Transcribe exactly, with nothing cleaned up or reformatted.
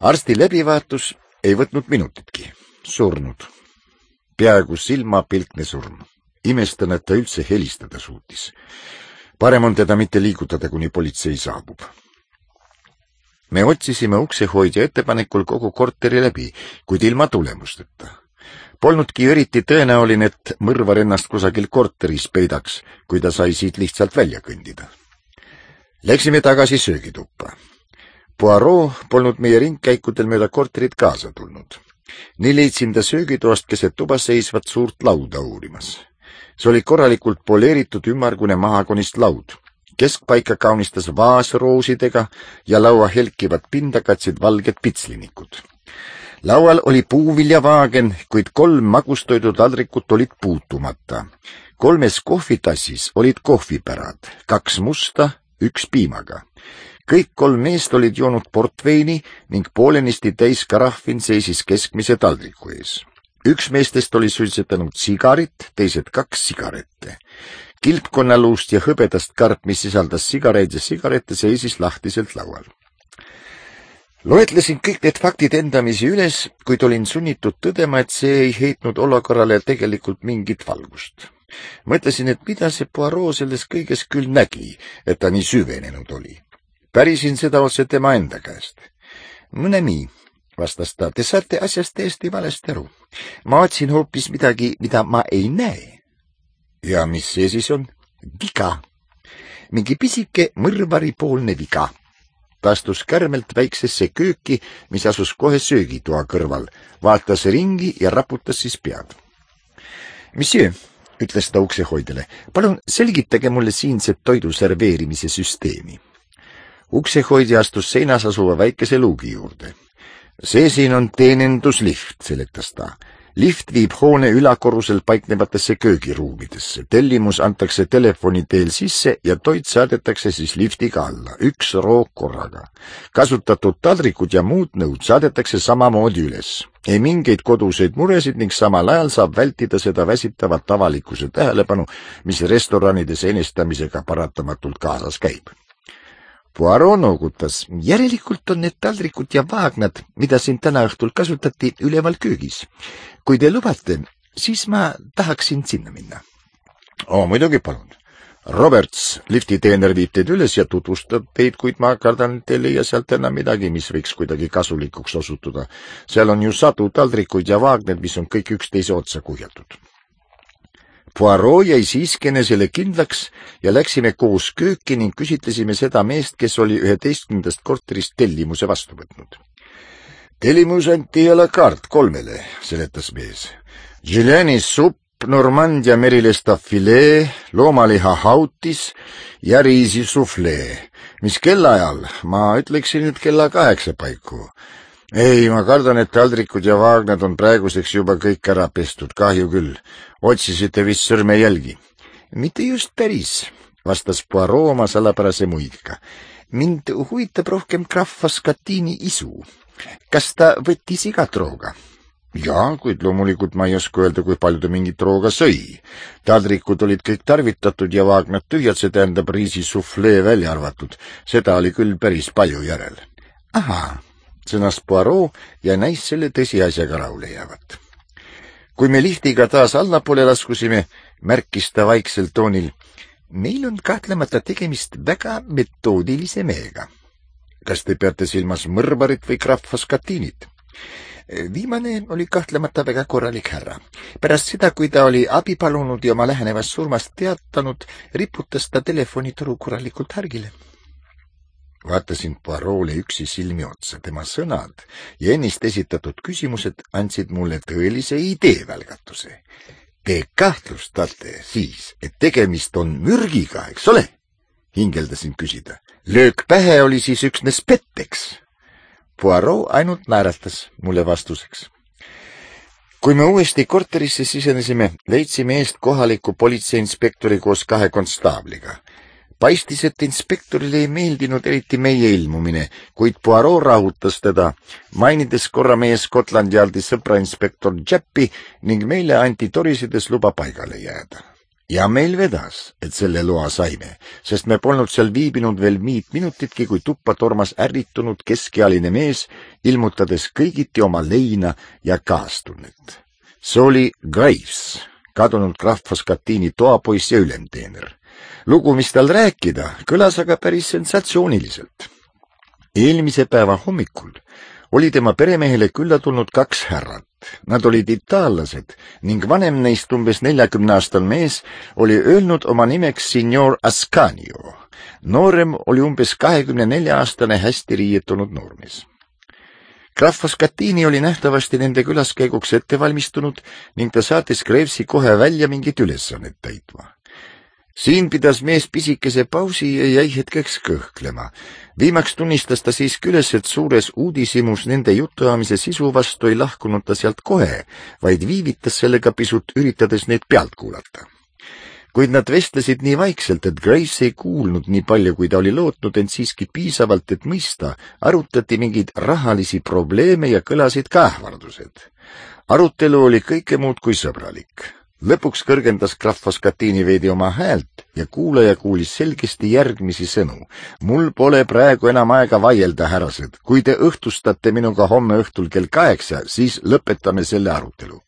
Arsti läbivaatus ei võtnud minutitki. Surnud. Peaaegu silmapilkne surm. Imestan, et ta üldse helistada suutis. Parem on teda mitte liigutada, kuni politsei saabub. Me otsisime uksehoidja ettepanekul kogu korteri läbi, kuid ilma tulemusteta. Polnudki eriti tõenäoline, et mõrvar ennast kusagil korteris peidaks, kui ta sai siit lihtsalt välja kõndida. Läksime tagasi söögituppa. Poirot polnud meie ringkäikudel mööda korterit kaasa tulnud. Nii leidsin ta söögitoast keset tuba seisvat suurt lauda uurimas. See oli korralikult poleeritud ümmargune mahakonist laud. Keskpaika kaunistas vaas roosidega ja laua helkivat pinda katsid valged pitslinikud. Laual oli puuviljavaagen, kuid kolm magustoidu taldrikut olid puutumata. Kolmes kohvitassis olid kohvipärad, kaks musta, üks piimaga. Kõik kolm meest olid joonud portveini ning poolenisti täis karahvin seisis keskmise taldriku ees. Üks meestest oli suitsetanud sigarit, teised kaks sigarette. Kilpkonnaluust ja hõbedast karp, mis sisaldas sigareid ja sigarette, seisis lahtiselt laual. Loetlesin kõik need faktid endamisi üles, kuid olin sunnitud tõdema, et see ei heitnud olukorrale tegelikult mingit valgust. Mõtlesin, et mida see Poirot selles kõiges küll nägi, et ta nii süvenenud oli. Pärisin seda otse tema enda käest. Mõne nii, vastas ta, te saate asjast täiesti valesti aru. Ma otsin hoopis midagi, mida ma ei näe. Ja mis see siis on? Viga. Mingi pisike mõrvaripoolne viga. Ta astus kärmelt väiksesse kööki, mis asus kohe söögitoa kõrval, vaatas ringi ja raputas siis pead. Monsieur, ütles ta uksehoidjale, palun selgitage mulle siinset toidu serveerimise süsteemi. Uksehoidja astus seinas asuva väikese luugi juurde. See siin on teeninduslift, seletas ta. Lift viib hoone ülakorrusel paiknevatesse köögiruumidesse. Tellimus antakse telefoni teel sisse ja toit saadetakse siis liftiga alla, üks roog korraga. Kasutatud taldrikud ja muud nõud saadetakse samamoodi üles. Ei mingeid koduseid muresid ning samal ajal saab vältida seda väsitavat avalikkuse tähelepanu, mis restoranides enestamisega paratamatult kaasas käib. Poirot noogutas. Järelikult on need taldrikud ja vaagnad, mida siin täna õhtul kasutati, üleval köögis. Kui te lubate, siis ma tahaksin sinna minna. O, muidugi palun. Roberts, liftiteener viib teid üles ja tutvustab teid, kuid ma kardan, et te leia sealt enam midagi, mis võiks kuidagi kasulikuks osutuda. Seal on ju sadu taldrikuid ja vaagned, mis on kõik üksteise otsa kuhjatud. Poirot jäi siiski enesele kindlaks ja läksime koos kööki ning küsitlesime seda meest, kes oli üheteistkümnendast korterist tellimuse vastu võtnud. Tellimus anti à la carte kolmele, seletas mees. Juliani supp, Normandia merilesta filee, loomaliha hautis ja riisi suflee. Mis kellaajal? Ma ütleksin nüüd kella kaheksa paiku. Ei, ma kardan, et taldrikud ja vaagnad on praeguseks juba kõik ära pestud, kahju küll. Otsisite vist sõrmejälgi. Mitte just päris, vastas Poirot oma salapärase muigiga. Mind huvitab rohkem graf Scatini isu. Kas ta võttis igat rooga? Jaa, kuid loomulikult ma ei oska öelda, kui palju ta mingit rooga sõi. Taldrikud olid kõik tarvitatud ja vaagnad tühjad, see tähendab riisi suflee välja arvatud. Seda oli küll päris palju järel. Ahaa, sõnas Poirot ja näis selle tõsiasjaga rahule jäävat. Kui me liftiga taas allapoole laskusime, märkis ta vaiksel toonil. Meil on kahtlemata tegemist väga metoodilise mehega. Kas te peate silmas mõrvarit või graf Scatinit? Viimane oli kahtlemata väga korralik härra. Pärast seda, kui ta oli abi palunud ja oma lähenevast surmast teatanud, riputas ta telefonitoru korralikult härgile. Vaatasin Poirot'le üksi silmi otsa. Tema sõnad ja ennist esitatud küsimused andsid mulle tõelise ideevälgatuse. Te kahtlustate siis, et tegemist on mürgiga, eks ole? Hingeldasin küsida. Löök pähe oli siis üksnes petteks. Poirot ainult naeratas mulle vastuseks. Kui me uuesti korterisse sisenesime, leidsime eest kohaliku politseiinspektori koos kahe konstaabliga. Paistis, et inspektorile ei meeldinud eriti meie ilmumine, kuid Poirot rahutas teda, mainides korra meie Scotland Yardi sõpra inspektor Jappi ning meile anti torisides luba paigale jääda. ja meil vedas, et selle loa saime, sest me polnud seal viibinud veel viit minutitki, kui tuppa tormas ärritunud keskealine mees, ilmutades kõigiti oma leina ja kaastunnet. See oli Graves, kadunud krahv Foscatini toapoiss ja ülemteener. Lugu, mis tal rääkida, kõlas aga päris sensatsiooniliselt. Eelmise päeva hommikul oli tema peremehele külla tulnud kaks härrat. Nad olid itaallased ning vanem neist umbes neljakümne aastal mees oli öelnud oma nimeks signor Ascanio. Noorem oli umbes kahekümne nelja aastane hästi riietunud noormees. Krahv Foscatini oli nähtavasti nende külaskäiguks ette valmistunud ning ta saatis Gravesi kohe välja mingit ülesannet täitma. Siin pidas mees pisikese pausi ja jäi hetkeks kõhklema. Viimaks tunnistas ta siis küles, et suures uudisimus nende jutuamise sisu vastu ei lahkunud ta sealt kohe, vaid viivitas sellega pisut, üritades neid pealt kuulata. Kuid nad vestlesid nii vaikselt, et Graves ei kuulnud nii palju, kui ta oli lootnud, ent siiski piisavalt, et mõista, arutati mingeid rahalisi probleeme ja kõlasid ka ähvardused. Arutelu oli kõike muud kui sõbralik. Lõpuks kõrgendas krahv Foscatini veidi oma häält ja kuulaja kuulis selgesti järgmisi sõnu. Mul pole praegu enam aega vaielda, härrased. Kui te õhtustate minuga homme õhtul kell kaheksa, siis lõpetame selle arutelu.